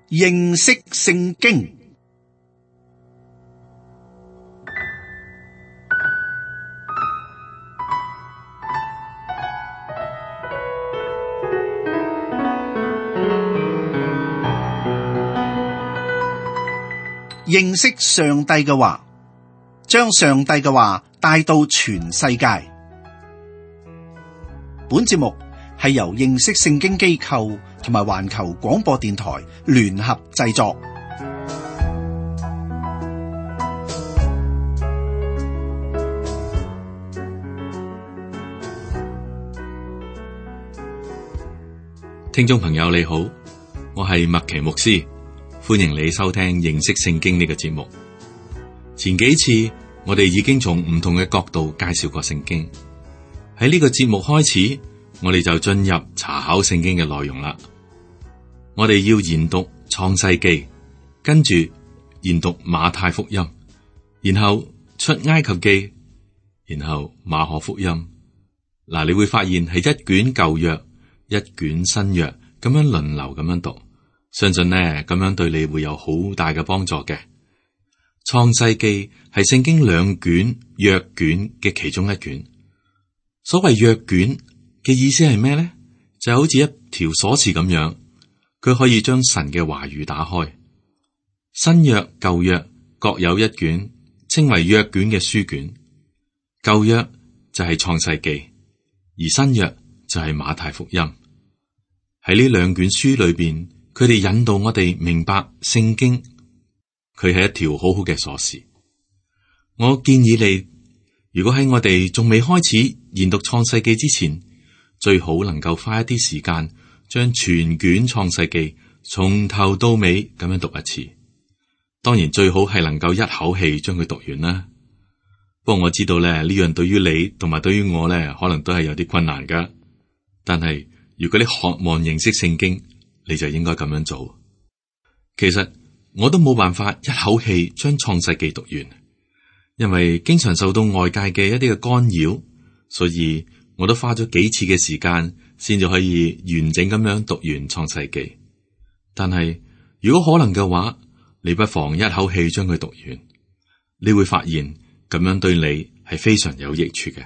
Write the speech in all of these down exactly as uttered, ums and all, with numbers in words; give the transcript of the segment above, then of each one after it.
認識聖經。認識上帝嘅話，將上帝嘅話帶到全世界。本節目係由認識聖經機構同埋環球廣播電台聯合製作。聽眾朋友你好，我係麥奇牧師，歡迎你收聽認識聖經呢個節目。前幾次我哋已經從唔同嘅角度介紹過聖經，喺呢個節目開始，我哋就進入查考聖經嘅內容啦。我哋要研讀創世記，跟住研讀馬太福音，然後出埃及記，然後馬可福音。嗱，你會發現係一卷舊約，一卷新約，咁樣輪流咁樣讀。相信呢，咁樣對你會有好大嘅幫助嘅。創世記係聖經兩卷約卷嘅其中一卷。所謂約卷嘅意思係咩呢？就好似一條鎖匙咁樣，佢可以將神嘅話語打開。新約舊約各有一卷，稱為約卷嘅書卷。舊約就係創世記，而新約就係馬太福音。喺呢兩卷書裏邊，佢哋引導我哋明白聖經，佢係一條好好嘅鎖匙。我建議你，如果喺我哋仲未開始研讀創世記之前，最好能夠花一啲時間，將全卷創世記從頭到尾咁樣讀一次。當然最好係能夠一口氣將佢讀完啦。不過我知道咧，呢樣對於你同埋對於我咧，可能都係有啲困難噶。但係如果你渴望認識聖經，你就應該咁樣做。其實我都冇辦法一口氣將創世記讀完，因為經常受到外界嘅一啲嘅干擾，所以我都花咗幾次嘅時間先至可以完整咁樣讀完創世記。但係如果可能嘅話，你不妨一口氣將佢讀完，你會發現咁樣對你係非常有益處嘅。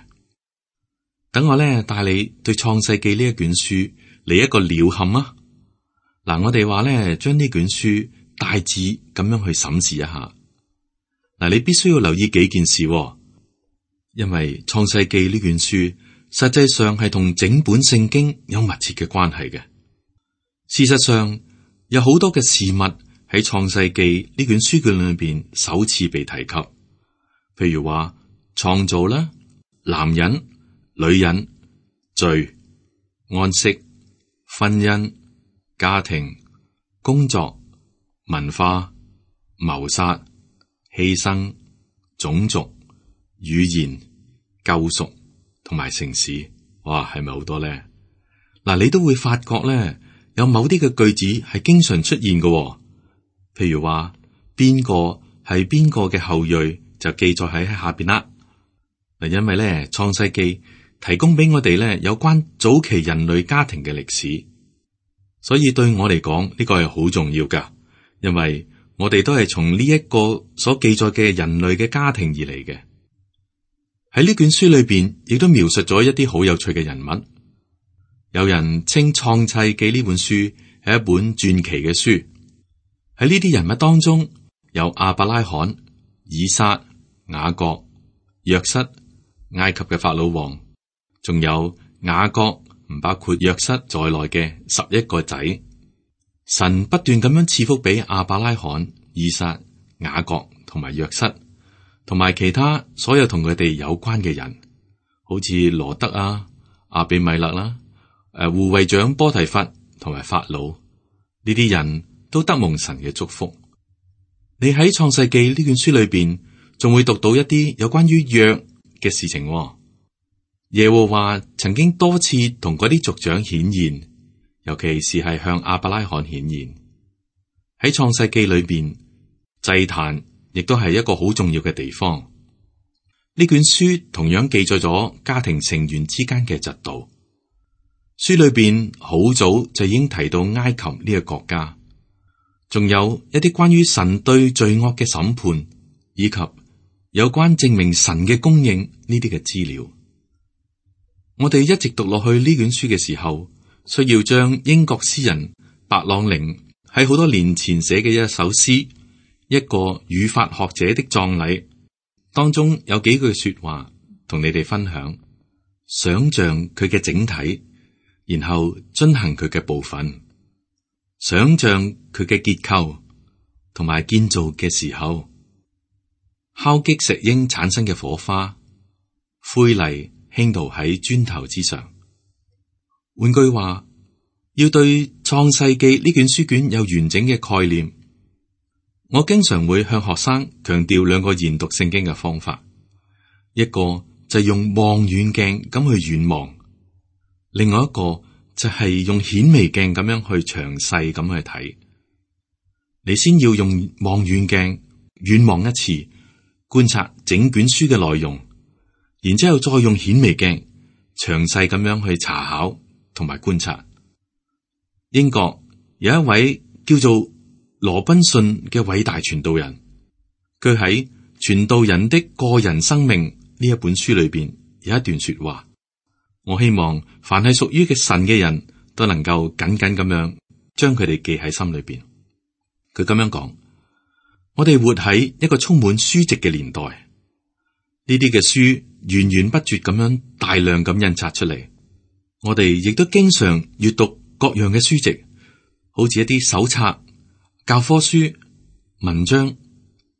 等我咧帶你對創世記呢一卷書嚟一個鳥瞰啊！嗱，我哋話咧，將呢卷書大致咁樣去審視一下。嗱，你必須要留意幾件事，因為創世記呢卷書實際上係同整本聖經有密切嘅關係嘅。事實上，有好多嘅事物喺創世記呢卷書卷裏邊首次被提及，譬如話創造啦、男人、女人、罪、安息、婚姻、家庭、工作、文化、謀殺、犧牲、種族、語言、救贖同埋城市。哇，係咪好多咧？嗱，你都會發覺咧，有某啲嘅句子係經常出現嘅，譬如話邊個係邊個嘅後裔就記載喺下邊啦。嗱，因為咧創世記提供俾我哋咧有關早期人類家庭嘅歷史。所以對我嚟講，呢個係好重要噶，因為我哋都係從呢一個所記載嘅人類嘅家庭而嚟嘅。喺呢卷書裏邊，亦都描述咗一啲好有趣嘅人物。有人稱創世記呢本書係一本傳奇嘅書。喺呢啲人物當中，有亞伯拉罕、以撒、雅各、約瑟、埃及嘅法老王，仲有雅各。唔包括約瑟在內嘅十一個仔，神不斷咁樣賜福俾亞伯拉罕、以撒、雅各同埋約瑟，同埋其他所有同佢哋有關嘅人，好似羅德啊、亞比米勒啦、誒護衛長波提乏同埋法老，呢啲人都得蒙神嘅祝福。你喺創世記呢卷書裏邊，仲會讀到一啲有關於約嘅事情。耶和華曾經多次同嗰啲族長顯現，尤其是係向亞伯拉罕顯現。喺創世記裏邊，祭壇亦都係一個好重要嘅地方。呢卷書同樣記載咗家庭成員之間嘅嫉妒。書裏邊好早就已經提到埃及呢個國家，仲有一啲關於神對罪惡嘅審判，以及有關證明神嘅供應呢啲嘅資料。我哋一直讀落去呢卷書嘅時候，需要將英國詩人白朗寧喺好多年前寫嘅一首詩，一個語法學者的葬禮當中有幾句說話同你哋分享，想象佢嘅整體，然後遵行佢嘅部分，想象佢嘅結構同埋建造嘅時候，敲擊石英產生嘅火花，灰泥傾倒喺磚頭之上。換句話，要對創世記呢卷書卷有完整嘅概念，我經常會向學生強調兩個研讀聖經嘅方法，一個就係用望遠鏡咁去遠望，另外一個就係用顯微鏡咁樣去詳細咁去睇。你先要用望遠鏡遠望一次，觀察整卷書嘅內容，然之後再用顯微鏡詳細咁樣去查考同埋觀察。英國有一位叫做羅賓遜嘅偉大傳道人，佢喺《傳道人的個人生命》呢一本書裏邊有一段說話，我希望凡係屬於嘅神嘅人都能夠緊緊咁樣將佢哋記喺心裏邊。佢咁樣講：我哋活喺一個充滿書籍嘅年代，呢啲嘅書源源不絕咁樣大量咁印刷出嚟，我哋亦都經常閱讀各樣嘅書籍，好似一啲手冊、教科書、文章、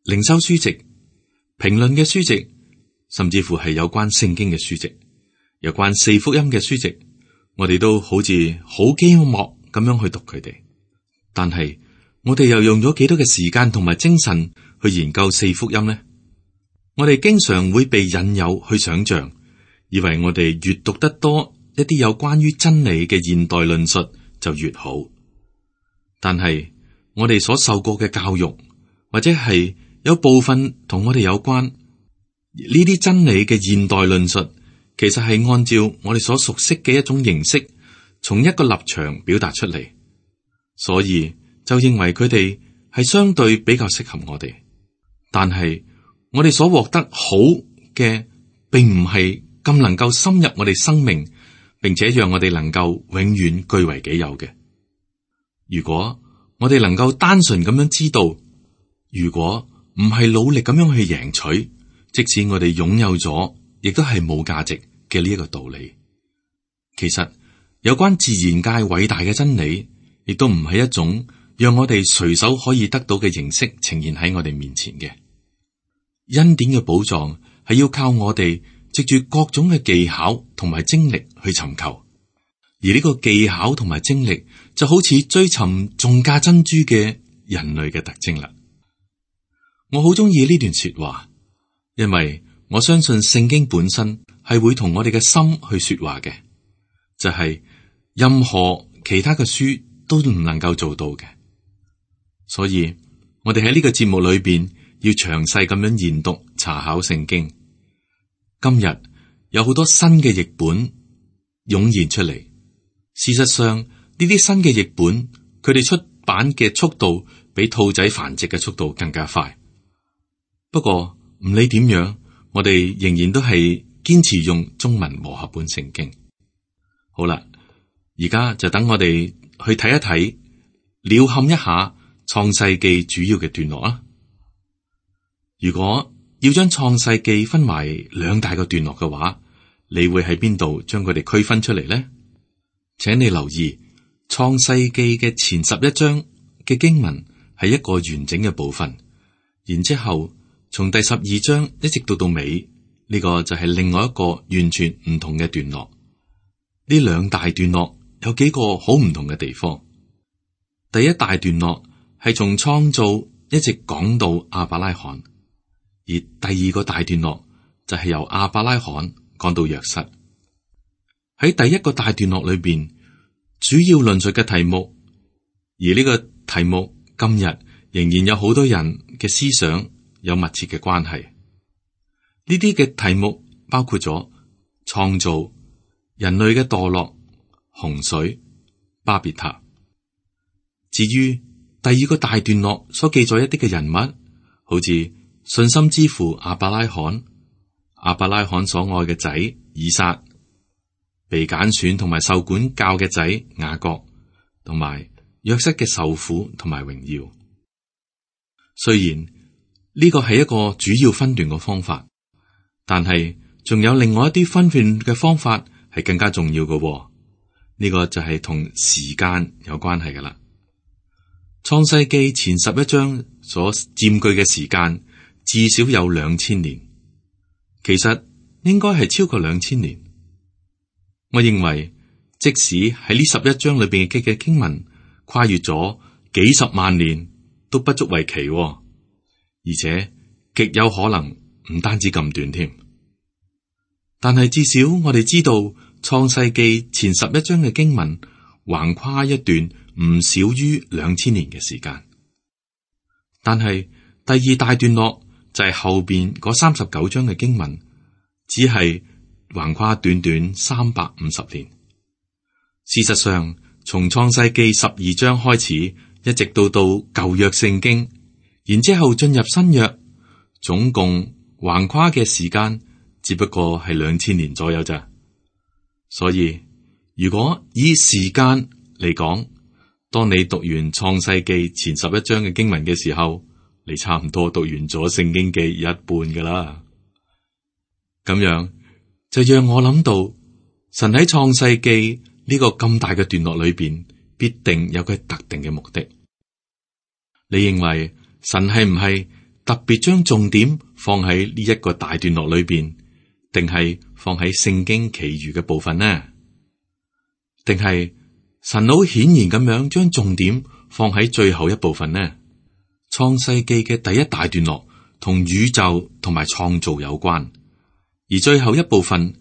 靈修書籍、評論嘅書籍，甚至乎係有關聖經嘅書籍，有關四福音嘅書籍，我哋都好似好飢渴咁樣去讀佢哋。但係我哋又用咗幾多嘅時間同埋精神去研究四福音呢？我哋經常會被引誘去想象，以為我哋越讀得多一啲有關於真理嘅現代論述就越好。但係我哋所受過嘅教育，或者係有部分同我哋有關呢啲真理嘅現代論述，其實係按照我哋所熟悉嘅一種形式，從一個立場表達出嚟，所以就認為佢哋係相對比較適合我哋。但係我哋所獲得好嘅，並唔係咁能夠深入我哋生命，並且讓我哋能夠永遠據為己有嘅。如果我哋能夠單純咁樣知道，如果唔係努力咁樣去贏取，即使我哋擁有咗，亦都係冇價值嘅呢一個道理。其實有關自然界偉大嘅真理，亦都唔係一種讓我哋隨手可以得到嘅形式呈現喺我哋面前嘅。恩典嘅寶藏係要靠我哋藉住各種嘅技巧同埋精力去尋求，而呢個技巧同埋精力就好似追尋重價珍珠嘅人類嘅特徵啦。我好中意呢段說話，因為我相信聖經本身係會同我哋嘅心去說話嘅，就係、是、任何其他嘅書都唔能夠做到嘅。所以我哋喺呢個節目裏邊要詳細咁樣研讀查考聖經。今日有好多新嘅譯本湧現出嚟，事實上呢啲新嘅譯本，佢哋出版嘅速度比兔仔繁殖嘅速度更加快。不過唔理點樣，我哋仍然都係堅持用中文和合本聖經。好啦，而家就等我哋去睇一睇，鳥瞰一下創世記主要嘅段落啊。如果要將創世記分為兩大個段落嘅話，你會喺邊度將佢哋區分出嚟呢？請你留意創世記嘅前十一章嘅經文係一個完整嘅部分，然之後從第十二章一直到到尾，呢個就係另外一個完全唔同嘅段落。呢兩大段落有幾個好唔同嘅地方。第一大段落係從創造一直講到亞伯拉罕，而第二個大段落就係由亞伯拉罕講到約瑟。喺第一個大段落裏邊，主要論述嘅題目，而呢個題目今日仍然有好多人嘅思想有密切嘅關係。呢啲嘅題目包括咗創造、人類嘅墮落、洪水、巴別塔。至於第二個大段落所記載一啲嘅人物，好似信心之父亞伯拉罕、亞伯拉罕所愛嘅仔以撒、被揀選同埋受管教嘅仔雅各，同埋約瑟嘅受苦同埋榮耀。雖然呢個係一個主要分段嘅方法，但係仲有另外一啲分段嘅方法係更加重要嘅喎。呢個就係同時間有關係噶啦。創世記前十一章所佔據嘅時間至少有兩千年，其實應該係超過兩千年。我認為即使喺呢十一章裏邊嘅嘅經文跨越咗幾十萬年，都不足為奇喎，而且極有可能唔單止咁短添。但係至少我哋知道創世記前十一章嘅經文橫跨一段唔少於兩千年嘅時間，但係第二大段落就係後邊嗰三十九章嘅經文，只係橫跨短短三百五十年。事實上，從創世記十二章開始，一直到到舊約聖經，然之後進入新約，總共橫跨嘅時間只不過係兩千年左右咋。所以如果以時間嚟講，當你讀完創世記前十一章嘅經文嘅時候，你差唔多讀完咗聖經嘅一半噶啦。咁樣就讓我諗到，神喺創世記呢個咁大嘅段落裏邊，必定有佢特定嘅目的。你認為神係唔係特別將重點放喺呢一個大段落裏邊，定係放喺聖經其餘嘅部分呢？定係神好顯然咁樣將重點放喺最後一部分呢？創世記嘅第一大段落同宇宙同埋創造有關，而最後一部分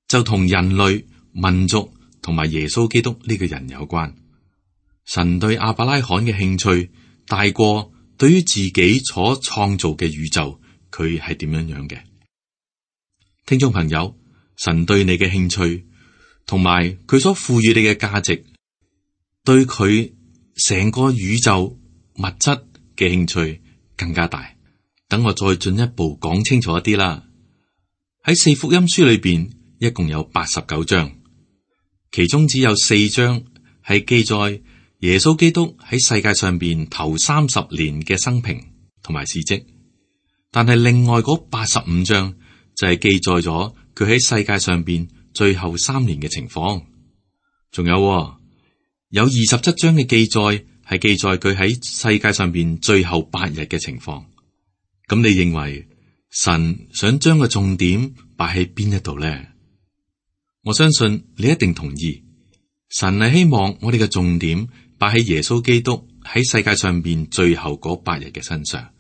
就同人類、民族同埋耶穌基督呢個人有關。神對亞伯拉罕嘅興趣大過對於自己所創造嘅宇宙，佢係點樣樣嘅？聽眾朋友，神對你嘅興趣同埋佢所賦予你嘅價值，對佢成個宇宙物質嘅興趣更加大。等我再進一步講清楚一啲啦。喺四福音書裏邊，一共有八十九章，其中只有四章係記載耶穌基督喺世界上邊頭三十年嘅生平同埋事蹟，但係另外嗰八十五章就係記載咗佢喺世界上邊最後三年嘅情況。仲有有二十七章嘅記載係記載佢喺世界上邊最後八日嘅情況。咁你認為神想將個重點擺喺邊一度呢？我相信你一定同意，神係希望我哋嘅重點擺喺耶穌基督喺世界上邊最後嗰八日嘅身上，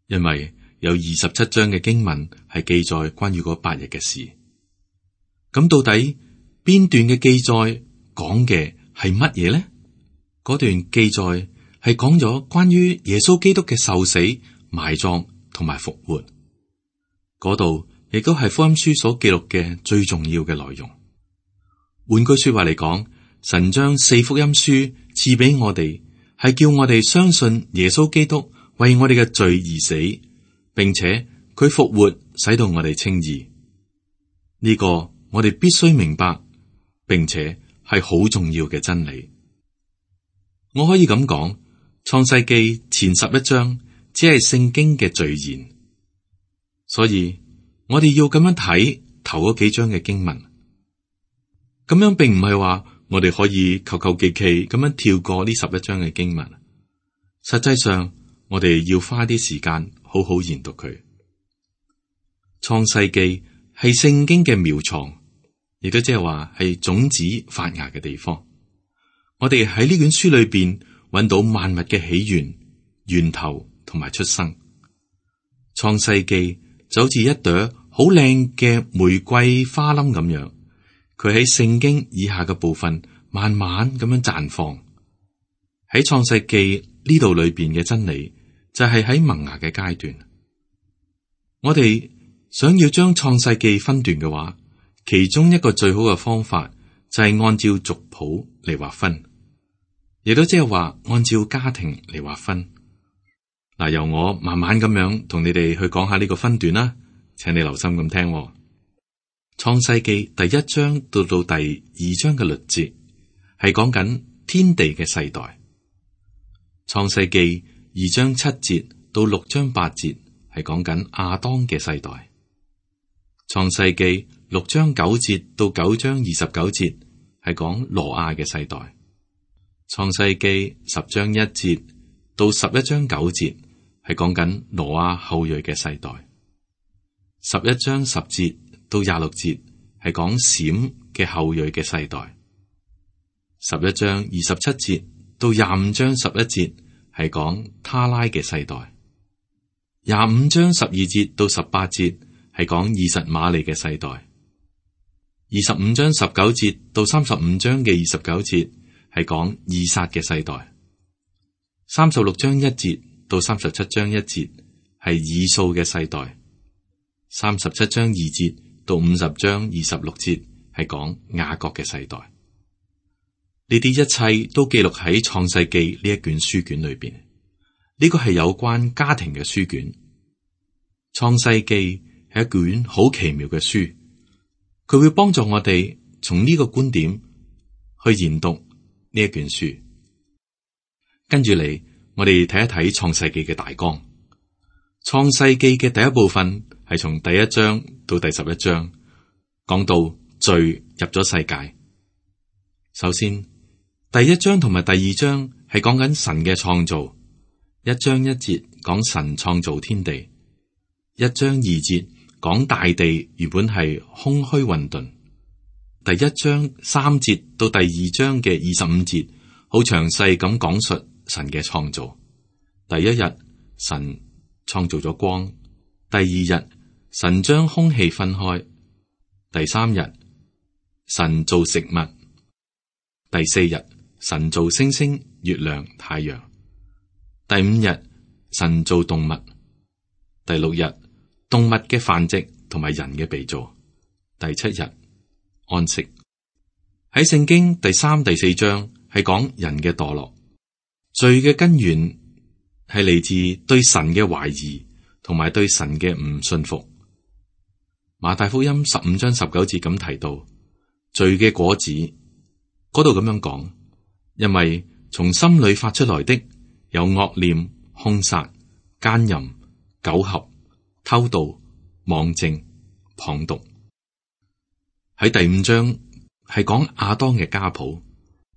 因為有二十七章嘅經文係記載關於嗰八日嘅事。咁到底邊段嘅記載講嘅係乜嘢呢？嗰段記載係講咗關於耶穌基督嘅受死、埋葬同埋復活。嗰度亦都係福音書所記錄嘅最重要嘅內容。換句說話嚟講，神將四福音書賜俾我哋，係叫我哋相信耶穌基督為我哋嘅罪而死，並且佢復活，使到我哋稱義。呢個我哋必須明白，並且係好重要嘅真理。我可以咁講，創世記前十一章只係聖經嘅序言，所以我哋要咁樣睇頭嗰幾章嘅經文。咁樣並唔係話我哋可以求求其其咁樣跳過呢十一章嘅經文。實際上，我哋要花啲時間好好研讀佢。創世記係聖經嘅苗床，亦都即係話係種子發芽嘅地方。我哋喺呢卷書裏邊揾到萬物嘅起源、源頭同埋出生。創世記就好似一朵好靚嘅玫瑰花冧咁樣，佢喺聖經以下嘅部分慢慢咁樣綻放。喺創世記呢度裏邊嘅真理就係喺萌芽嘅階段。我哋想要將創世記分段嘅話，其中一個最好嘅方法就係按照族譜嚟劃分。亦都即係話按照家庭嚟劃分。嗱，由我慢慢咁樣同你哋去講下呢個分段啦，請你留心咁聽。創世記第一章到到第二章嘅律節係講緊天地嘅世代。創世記二章七節到六章八節係講緊亞當嘅世代。創世記六章九節到九章二十九節係講挪亞嘅世代。創世記十章一節到十一章九節係講緊挪亞後裔嘅世代。十一章十節到廿六節係講閃嘅後裔嘅世代。十一章二十七節到廿五章十一節係講他拉嘅世代。廿五章十二節到十八節係講以實瑪利嘅世代。二十五章十九節到三十五章嘅二十九節係講以撒嘅世代。三十六章一節到三十七章一節係以掃嘅世代。三十七章二節到五十章二十六節係講雅各嘅世代。呢啲一切都記錄喺創世記呢一卷書卷裏邊。呢個係有關家庭嘅書卷。創世記係一卷好奇妙嘅書，佢會幫助我哋從呢個觀點去研讀呢一卷書。跟住嚟，我哋睇一睇創世記嘅大綱。創世記嘅第一部分係從第一章到第十一章，講到罪入咗世界。首先，第一章同埋第二章係講緊神嘅創造。一章一節講神創造天地，一章二節講大地原本係空虛混沌。第一章三節到第二章嘅二十五節，好詳細咁講述神嘅創造。第一日，神創造咗光；第二日，神將空氣分開；第三日，神造食物；第四日，神造星星、月亮、太陽；第五日，神造動物；第六日，動物嘅繁殖同埋人嘅被造；第七日，安息。喺聖經第三、第四章係講人嘅墮落，罪嘅根源係嚟自對神嘅懷疑同埋對神嘅唔信服。馬太福音十五章十九節咁提到罪嘅果子，嗰度咁樣講，因為從心裏發出來的有惡念、兇殺、奸淫、苟合、偷盜、妄證、謗讟。喺第五章係講亞當嘅家譜，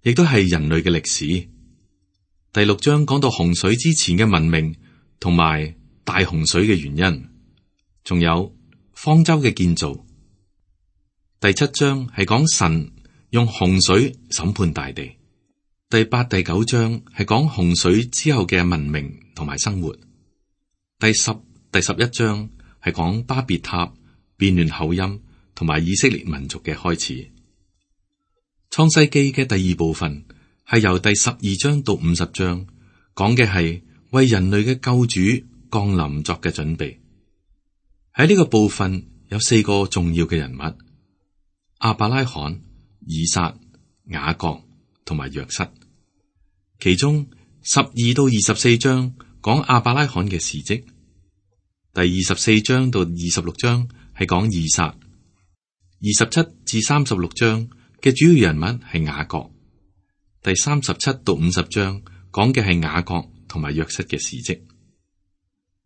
亦都係人類嘅歷史。第六章講到洪水之前嘅文明同埋大洪水嘅原因，仲有方舟嘅建造。第七章係講神用洪水審判大地。第八、第九章係講洪水之後嘅文明同埋生活。第十、第十一章係講巴別塔、變亂口音同埋以色列民族嘅開始。創世記嘅第二部分係由第十二章到五十章，講嘅係為人類嘅救主降臨作嘅準備。喺呢個部分有四個重要嘅人物：亞伯拉罕、以撒、雅各同埋約瑟。其中十二到二十四章講亞伯拉罕嘅事蹟，第二十四章到二十六章係講以撒，二十七至三十六章嘅主要人物係雅各，第三十七到五十章講嘅係雅各同埋約瑟嘅事蹟。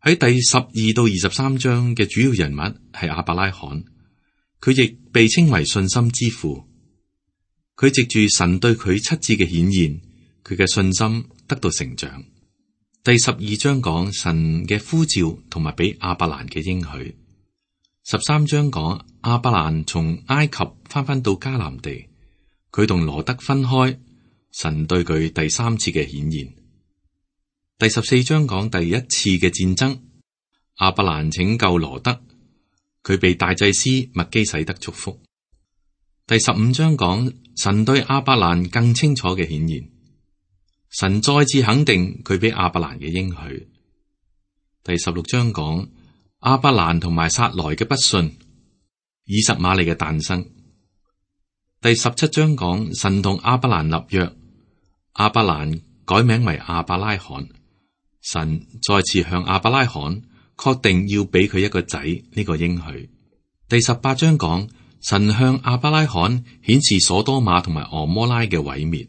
喺第十二到二十三章嘅主要人物係亞伯拉罕，佢亦被稱為信心之父。佢藉住神對佢七次嘅顯現，佢嘅信心得到成長。第十二章講神嘅呼召同埋俾亞伯蘭嘅應許。十三章講亞伯蘭從埃及翻返到迦南地，佢同羅德分開，神對佢第三次嘅顯現。第十四章講第一次嘅戰爭，亞伯蘭拯救羅德，佢被大祭司麥基洗德祝福。第十五章講神對亞伯蘭更清楚嘅顯現，神再次肯定佢俾亞伯蘭嘅應許。第十六章講亞伯蘭同埋撒萊嘅不信，以實瑪利嘅誕生。第十七章講神同亞伯蘭立約，亞伯蘭改名為亞伯拉罕。神再次向亞伯拉罕確定要俾佢一個仔呢個應許。第十八章講神向亞伯拉罕顯示所多瑪同埋俄摩拉嘅毀滅。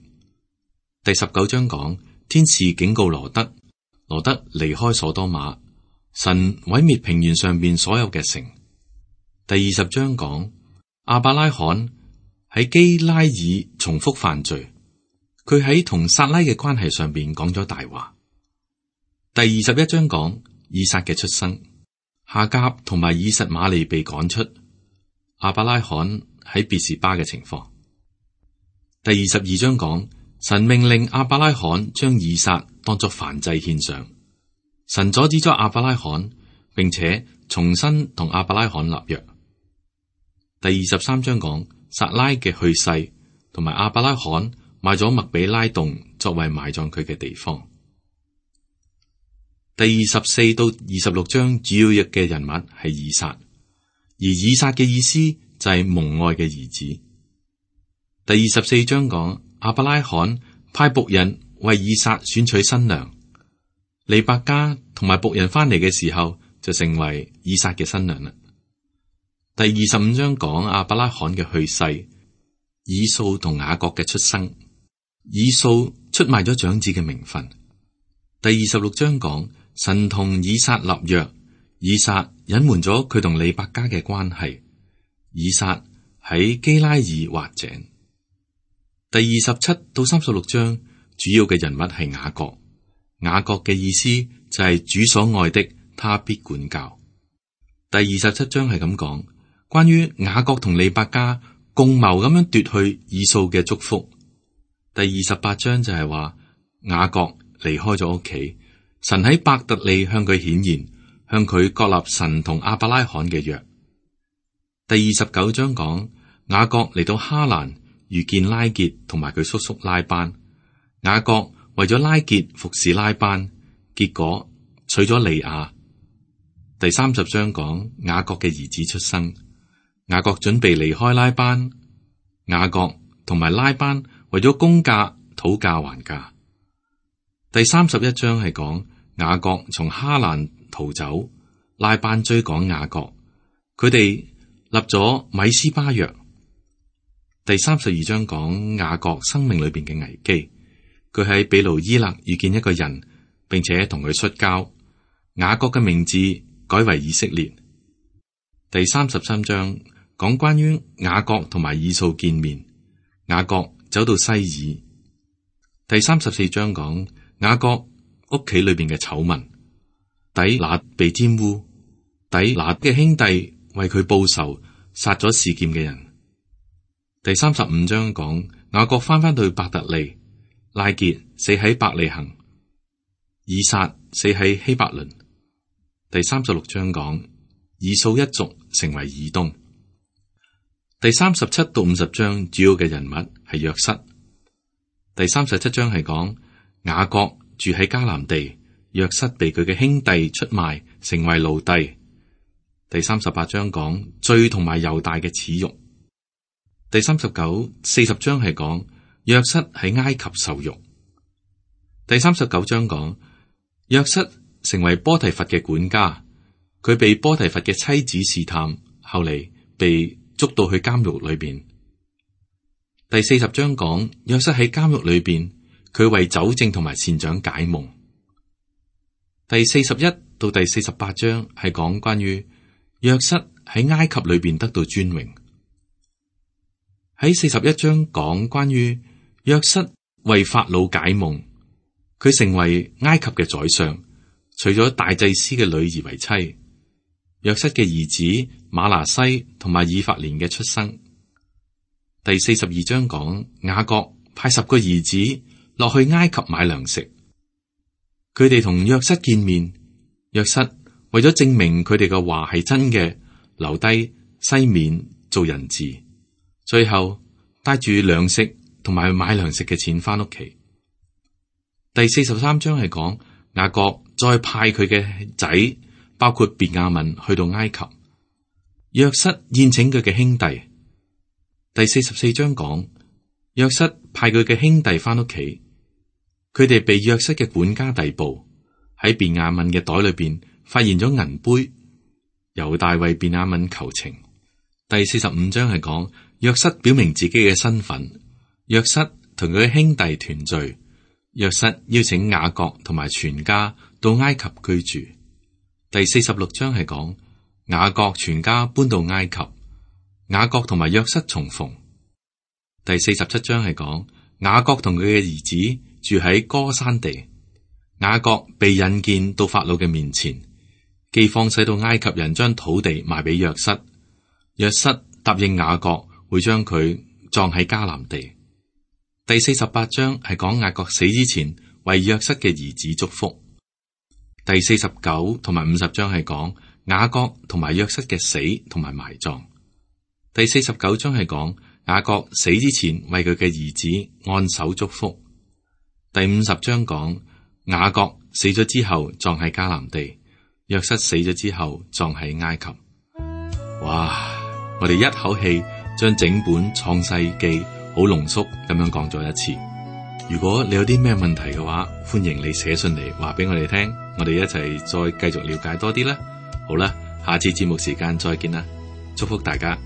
第十九章講天使警告羅德，羅德離開所多瑪，神毀滅平原上邊所有嘅城。第二十章講亞伯拉罕喺基拉爾重複犯罪，佢喺同撒拉嘅關係上邊講咗大話。第二十一章講以撒嘅出生，夏甲同埋以實瑪利被趕出，亞伯拉罕喺別是巴嘅情況。第二十二章講神命令亞伯拉罕將以撒當作燔祭獻上，神阻止咗亞伯拉罕，並且重新同亞伯拉罕立約。第二十三章講撒拉嘅去世，同埋亞伯拉罕買咗麥比拉洞作為埋葬佢嘅地方。第二十四到二十六章主要嘅人物係以撒，而以撒嘅意思就係蒙愛嘅兒子。第二十四章講亞伯拉罕派僕人為以撒選取新娘，利百加同埋僕人翻嚟嘅時候就成為以撒嘅新娘啦。第二十五章講亞伯拉罕嘅去世，以掃同雅各嘅出生，以掃出賣咗長子嘅名分。第二十六章講神同以撒立約，以撒隱瞞咗佢同利百加嘅關係，以撒喺基拉爾挖井。第二十七到三十六章主要嘅人物係雅各，雅各嘅意思就係主所愛的，他必管教。第二十七章係咁講，關於雅各同利百加共謀咁樣奪去以掃嘅祝福。第二十八章就係話雅各離開咗屋企，神喺伯特利向佢顯現，向佢確立神同亞伯拉罕嘅約。第二十九章講雅各嚟到哈蘭，遇見拉結同埋佢叔叔拉班，雅各為咗拉結服侍拉班，結果娶咗利亞。第三十章講雅各嘅兒子出生，雅各準備離開拉班，雅各同埋拉班為咗公價討價還價。第三十一章係講雅各從哈蘭逃走，拉班追趕雅各，佢哋立咗米斯巴約。第三十二章講雅各生命裏邊嘅危機，佢喺比路伊勒遇見一個人，並且同佢摔跤，雅各嘅名字改為以色列。第三十三章講關於雅各同埋以掃見面，雅各走到西珥。第三十四章講雅各屋企裏邊嘅醜聞，底拿被玷污，底拿嘅兄弟為佢報仇，殺咗示劍嘅人。第三十五章講雅各翻返到伯特利，拉結死喺伯利恆，以撒死喺希伯倫。第三十六章講以掃一族成為以東。第三十七到五十章主要嘅人物係約瑟。第三十七章係講雅各住喺迦南地，約瑟被佢嘅兄弟出賣，成為奴隸。第三十八章講罪同埋猶大嘅恥辱。第三十九、四十章係講約瑟喺埃及受辱。第三十九章講約瑟成為波提乏嘅管家，佢被波提乏嘅妻子試探，後嚟被捉到去監獄裏邊。第四十章講約瑟喺監獄裏邊，佢為酒政同埋善長解夢。第四十一到第四十八章係講關於約瑟喺埃及裏邊得到尊榮。喺四十一章講關於約瑟為法老解夢，佢成為埃及嘅宰相，娶咗大祭司嘅女兒為妻。約瑟嘅兒子瑪拿西同埋以法蓮嘅出生。第四十二章講雅各派十個兒子落去埃及買糧食，佢哋同約瑟見面，約瑟為咗證明佢哋嘅話係真嘅，留低西面做人質。最後帶住糧食同埋買糧食嘅錢翻屋企。第四十三章係講雅各再派佢嘅仔，包括便雅憫去到埃及，約瑟宴請佢嘅兄弟。第四十四章講約瑟派佢嘅兄弟翻屋企，佢哋被約瑟嘅管家逮捕，喺便雅憫嘅袋裏邊發現咗銀杯，猶大為便雅憫求情。第四十五章係講約瑟表明自己嘅身份，約瑟同佢嘅兄弟團聚，約瑟邀請雅各同埋全家到埃及居住。第四十六章係講雅各全家搬到埃及，雅各同埋約瑟重逢。第四十七章係講雅各同佢嘅兒子住喺歌珊地，雅各被引薦到法老嘅面前，饑荒使到埃及人將土地賣俾約瑟，約瑟答應雅各會將佢葬喺迦南地。第四十八章係講雅各死之前為約瑟嘅兒子祝福。第四十九同埋五十章係講雅各同埋約瑟嘅死同埋埋葬。第四十九章係講雅各死之前為佢嘅兒子按手祝福。第五十章講雅各死咗之後葬喺迦南地，約瑟死咗之後葬喺埃及。哇！我哋一口氣將整本創世記好濃縮咁樣講咗一次。如果你有啲咩問題嘅話，歡迎你寫信嚟話俾我哋聽，我哋一齊再繼續了解多啲啦。好啦，下次節目時間再見啦，祝福大家。